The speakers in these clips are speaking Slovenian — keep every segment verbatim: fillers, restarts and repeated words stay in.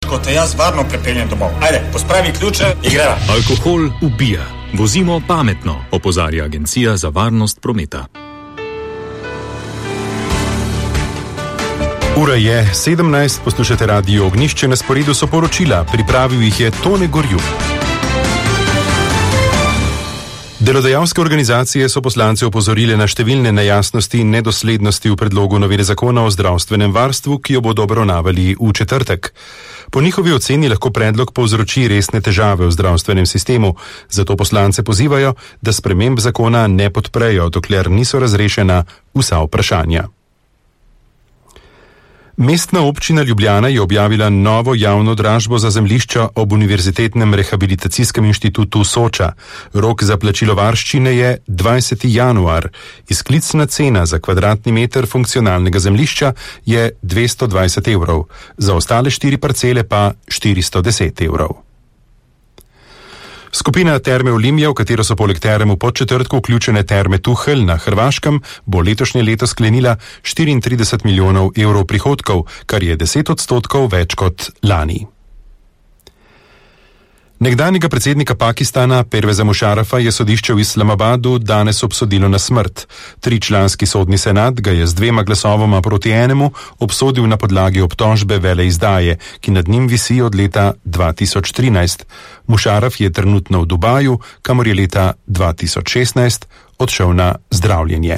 ko te jaz varno prepeljem domov. Ajde, pospravi ključe in greva. Alkohol ubija. Vozimo pametno, opozarja Agencija za varnost prometa. Ura je sedemnajst, poslušate Radio Ognjišče, na sporedu so poročila, pripravil jih je Tone Gorjup. Delodajalske organizacije so poslance opozorile na številne nejasnosti in nedoslednosti v predlogu novele zakona o zdravstvenem varstvu, ki jo bodo obravnavali v četrtek. Po njihovi oceni lahko predlog povzroči resne težave v zdravstvenem sistemu, zato poslance pozivajo, da sprememb zakona ne podprejo, dokler niso razrešena vsa vprašanja. Mestna občina Ljubljana je objavila novo javno dražbo za zemljišča ob Univerzitetnem rehabilitacijskem inštitutu Soča. Rok za plačilo varščine je dvajseti januar. Izklicna cena za kvadratni meter funkcionalnega zemljišča je dvesto dvajset evrov, za ostale štiri parcele pa štiristo deset evrov. Skupina Terme Olimia, v katero so poleg term v Podčetrtku vključene Terme Tuhelj na Hrvaškem, bo letošnje leto sklenila štiriintrideset milijonov evrov prihodkov, kar je deset odstotkov več kot lani. Nekdanjega predsednika Pakistana Perveza Mušarafa je sodišče v Islamabadu danes obsodilo na smrt. Tričlanski sodni senat ga je z dvema glasovoma proti enemu obsodil na podlagi obtožbe veleizdaje, ki nad njim visi od leta dva tisoč trinajst. Mušaraf je trenutno v Dubaju, kamor je leta dva tisoč šestnajst odšel na zdravljenje.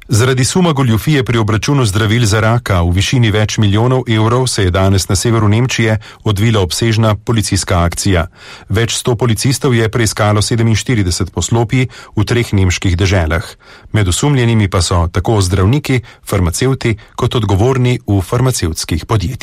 Zaradi suma goljufije pri obračunu zdravil za raka v višini več milijonov evrov se je danes na severu Nemčije odvila obsežna policijska akcija. Več sto policistov je preiskalo sedeminštirideset poslopij v treh nemških deželah. Med osumljenimi pa so tako zdravniki, farmacevti kot odgovorni v farmacevtskih podjetjih.